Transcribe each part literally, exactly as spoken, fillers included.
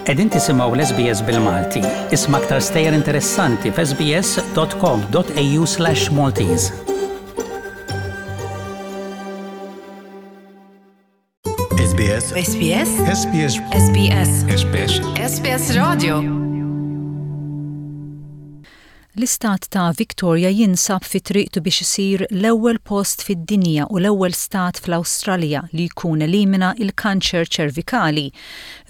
Qegħdin tisimgħu l-S B S bil-Malti. Isma' aktar stejjer interessanti f'S B S dot com dot A U slash Maltese. S B S. S B S. S B S. S B S. S B S. S B S Radio. L-istat ta' Victoria jinsab fi triqtu biex isir l-ewwel post fid-dinja u l-ewwel stat fl-Awstralja li jkun elimina il-kanċer ċervikali.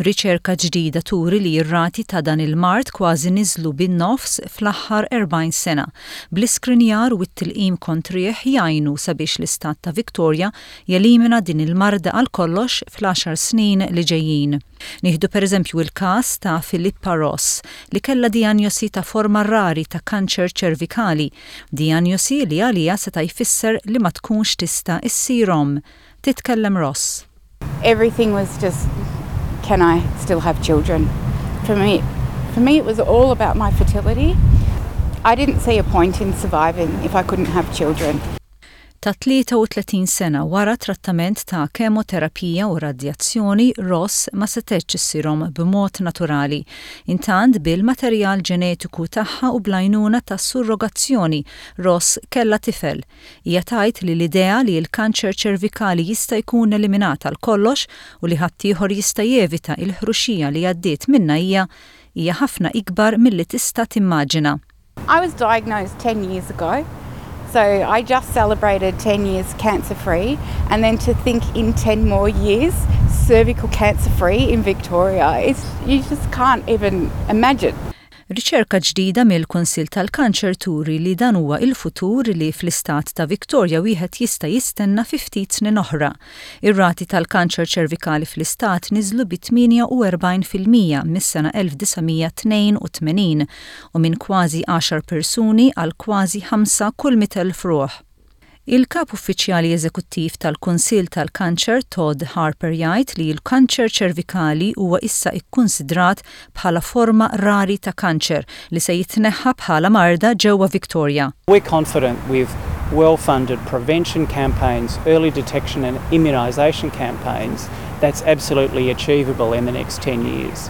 Riċerka ġdida turi li r-rati ta' dan il-mard kważi niżlu bin-nofs fl-aħħar erbgħin sena. Bl-iskrinjar u t-tilqim kontrih jgħinu sabiex l-istat ta' Victoria jelimina din il-marda għal kollox fl-għaxar snin li ġejjin. Nieħdu pereżempju il-każ ta' Filippa Ross, li kellha dijanjosi ta' forma rari ta' kanċer ċervikali, dijanjosi li għalija seta' jfisser li ma tkunx tista' issir omm. Titkellem Ross. Everything was just, can I still have children? For me, for me, it was all about my fertility. I didn't see a point in surviving if I couldn't have children. Ta' tlieta u tletin sena, wara trattament ta' kemoterapija u radjazzjoni, Ross ma setgħetx issir omm b'mod naturali. Intant, bil-materjal ġenetiku tagħha u bl-għajnuna ta' surrogazzjoni, Ross kella tifel. Hija tgħid li l-idea li l-kanċer ċervikali jista' jkun eliminat għal kollox u li ħaddieħor jista' jevita il-ħruxija li għaddiet minnha hija hija ħafna ikbar milli tista' timmaġina. I was diagnosed ten years ago, so I just celebrated ten years cancer free, and then to think in ten more years, cervical cancer free in Victoria, it's, you just can't even imagine. Riċerka ġdida mill-Kunsill tal-Kanċer turi li dan huwa il-futur li fl-istat ta' Victoria wieħed jista' jistenna fi ftit snin oħra. Ir-rati tal-kanċer ċervikali fl-istat niżlu bi tmienja u erbgħin fil-mija mis-sena elf disa' mija tnejn u tmenin u minn kważi għaxar persuni għal kważi ħamsa kull mitt elf ruħ. Il-kap uffiċjali eżekuttiv tal-Kunsill tal-Kanċer, Todd Harper, jgħid li l-kanċer ċervikali huwa issa ikkonsidrat bħala forma rari ta' kanċer li se jitneħħa bħala marda ġewwa Victoria. We're confident with well-funded prevention campaigns, early detection and immunisation campaigns, that's absolutely achievable in the next ten years.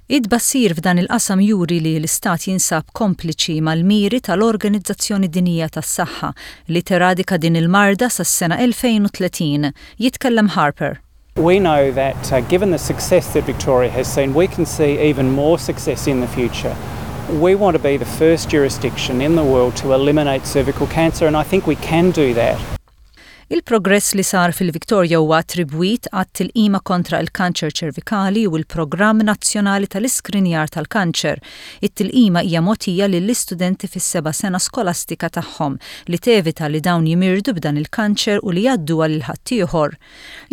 It-tbassir f'dan il-qasam juri li l-istat jinsab kompliċi mal-miri tal-Organizzazzjoni Dinjija tas-Saħħa li teradika din il-marda sas-sena elfejn u tletin. Jitkellem Harper. We know that uh, given the success that Victoria has seen, we can see even more success in the future. We want to be the first jurisdiction in the world to eliminate cervical cancer, and I think we can do that. Il-progress li sar fil-Victoria huwa attribwit għat-tilqima kontra il-kanċer ċervikali u l-Programm Nazzjonali tal-Iskrinjar tal-Kanċer. It-tilqima hija mogħtija lill-istudenti fis-seba' sena skolastika tagħhom, li tevita li dawn jimirdu b'dan il-kanċer u li jgħadduha lil ħaddieħor.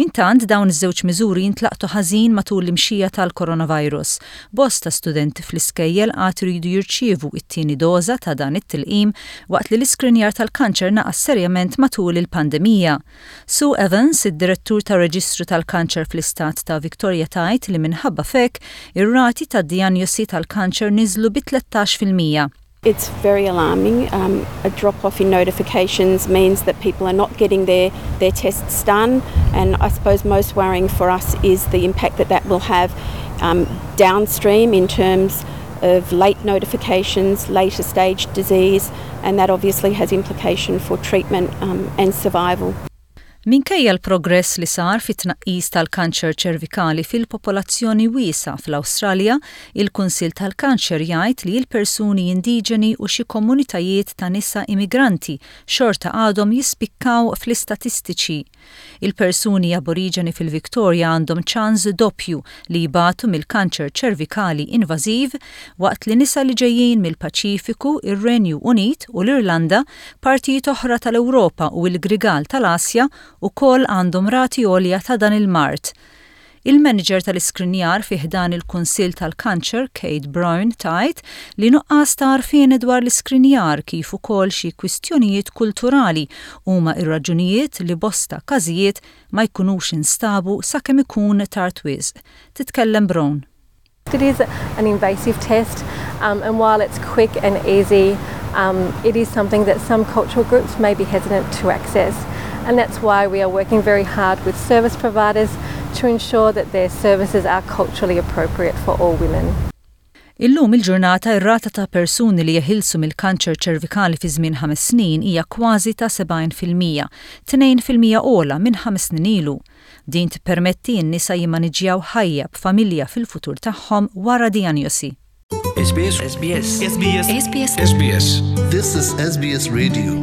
Intant, dawn iż-żewġ miżuri jintlaqtu ħażin matul l-imxija tal-coronavirus. Bosta studenti fl-iskejjel għad iridu jirċievu it-tieni doża ta' dan it-tilqim, waqt li l-iskrinjar tal-kanċer naqas serjament matul il-pandemija. Sue Evans, id-direttur ta' reġistru tal-kanċer fl-istat ta' Victoria, tgħid li minħabba f'hekk ir-rati ta' dijanjosi tal-kanċer niżlu bi tlettax fil-mija. It's very alarming. Um, a drop off in notifications means that people are not getting their, their tests done, and I suppose most worrying for us is the impact that that will have um, downstream in terms of late notifications, later stage disease, and that obviously has implication for treatment um, and survival. Minkejja l-progress li sar fit-tnaqqis tal-kanċer ċervikali fil-popolazzjoni wiesa fl-Awstralja, il-Kunsill tal-Kanċer jgħid li l-persuni indiġeni u xi komunitajiet ta' nisa immigranti xorta għadhom jispikkaw fl-istatistiċi. Il-persuni aboriġeni fil-Victoria għandhom ċans doppju li jbatu mill-kanċer ċervikali invażiv, waqt li nisa li ġejjin mill-Paċifiku, ir-Renju Unit u l-Irlanda, partijiet oħra tal-Ewropa u l-Grigal tal-Asja ukoll għandhom rati għolja ta' dan il-mard. Il-manager tal-iskrinjar fi ħdan il-Kunsill tal-Kanċer, Kate Brown, tgħid li nuqqas ta' għarfien dwar l-iskrinjar kif ukoll xi kwistjonijiet kulturali huma ir-raġunijiet li bosta każijiet ma jkunux instabu sakemm ikun tard wisq. Titkellem Brown. It is an invasive test, um, and while it's quick and easy, um, it is something that some cultural groups may be hesitant to access. And that's why we are working very hard with service providers to ensure that their services are culturally appropriate for all women. Illum il-ġurnata, ir-rata ta' persuni li jeħilsu mill-kanċer ċervikali fi żmien ħames snin hija kważi ta' sebgħin fil-mija, tnejn fil-mija ogħla minn ħames snin ilu. Din tippermetti n-nisa jimmaniġġjaw ħajja b'familja fil-futur tagħhom wara dijanjosi. S B S S B S S B S S B S S B S. This is S B S Radio.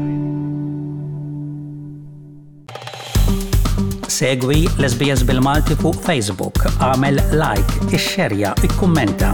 Segwi l-S B S bil-Malti fuq Facebook, għamel like, ixxerja, ikkummenta.